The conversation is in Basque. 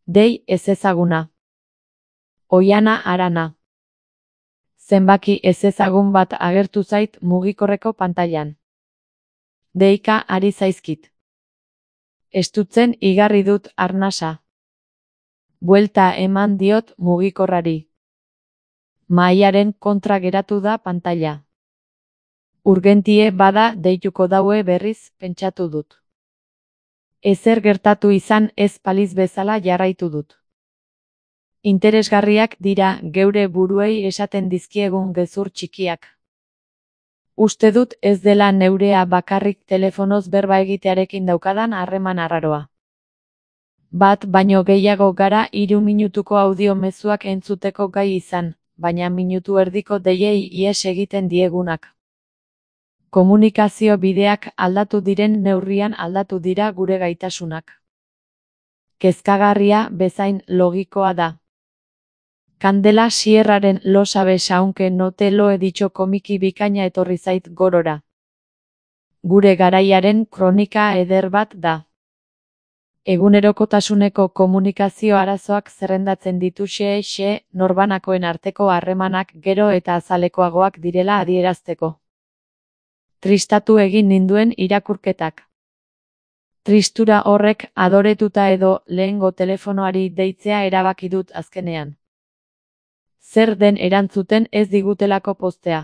Dei ezezaguna. Oihana Arana. Zenbaki ezezagun bat agertu zait mugikorreko pantailan. Deika ari zaizkit. Estutzen igarri dut arnasa. Buelta eman diot mugikorrari. Mahaiaren kontra geratu da pantaila. Urgentie bada deituko daue berriz pentsatu dut. Ezer gertatu izan ez paliz bezala jarraitu dut. Interesgarriak dira geure buruei esaten dizkiegun gezur txikiak. Uste dut ez dela neurea bakarrik telefonoz berba egitearekin daukadan harreman arraroa. Bat baino gehiago gara 3 minutuko audio mezuak entzuteko gai izan, baina minutu erdiko deiei ihes egiten diegunak. Komunikazio bideak aldatu diren neurrian aldatu dira gure gaitasunak. Kezkagarria bezain logikoa da. Kandela Sierraren Lo sabes aunque no te lo he dicho komiki bikaina etorri zait gorora. Gure garaiaren kronika eder bat da. Egunerokotasuneko komunikazio arazoak zerrendatzen ditu xe norbanakoen arteko harremanak gero eta azalekoagoak direla adierazteko. Tristatu egin ninduen irakurketak. Tristura horrek adoretuta edo lehengo telefonoari deitzea erabaki dut azkenean. Zer den erantzuten ez digutelako postea.